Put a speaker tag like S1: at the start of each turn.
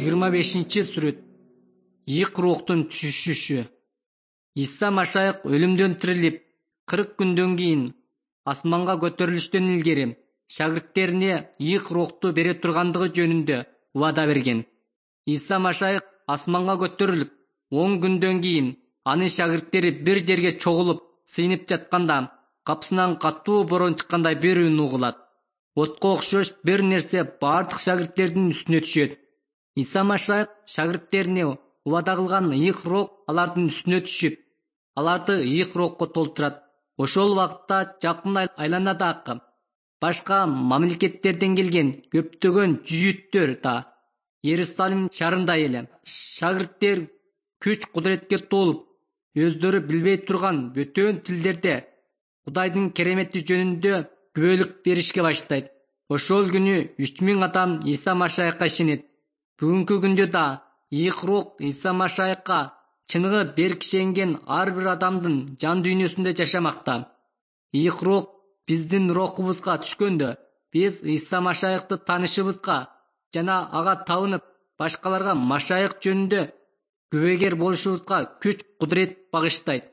S1: 25-сүрөт. Ийик руктун түшүшү. Иса Машайык өлүмдөн тирилип, 40 күндөн кийин асманга көтөрүлүштөн илгери шагирттерине ийик рухту бере тургандыгы жөнүндө убада берген. Иса Машайык асманга көтөрүлүп, 10 күндөн кийин анын шагирттери бир жерге чогулуп сыйынып жатканда, капсынан катуу борон чыккандай бир үн угулат. Отко окшош бир нерсе бардык шагирттердин үстүнө түшөт. Иса Машайык шагирттерине убада кылган ийик рух алардын үстүнө түшүп, аларды ийик рухка толтурат. Ошол убакытта жакын айланадагы башка мамлекеттерден келген көптөгөн жүзүттөр да Иерусалим шаарында эле. Шагирттер күч кудуретке толуп, өздөрү билбей турган бөтөн тилдерде Кудайдын керемети жөнүндө күбөлүк беришке баштайт. Ошол күнү 3000 адам Иса Машайыкка ишенет. Бүгүнкү күндө да ийик рух Иса Машайыкка чыныгы берк ишенген ар бир адамдын жан дүйнөсүндө жашамакта. Ийик рух биздин рухубузга түшкөндө, биз Иса Машайыкты таанышыбызга жана ага табынып, башкаларга Машайык жөнүндө күбөгер болушубузга күч кудурет багыштайт.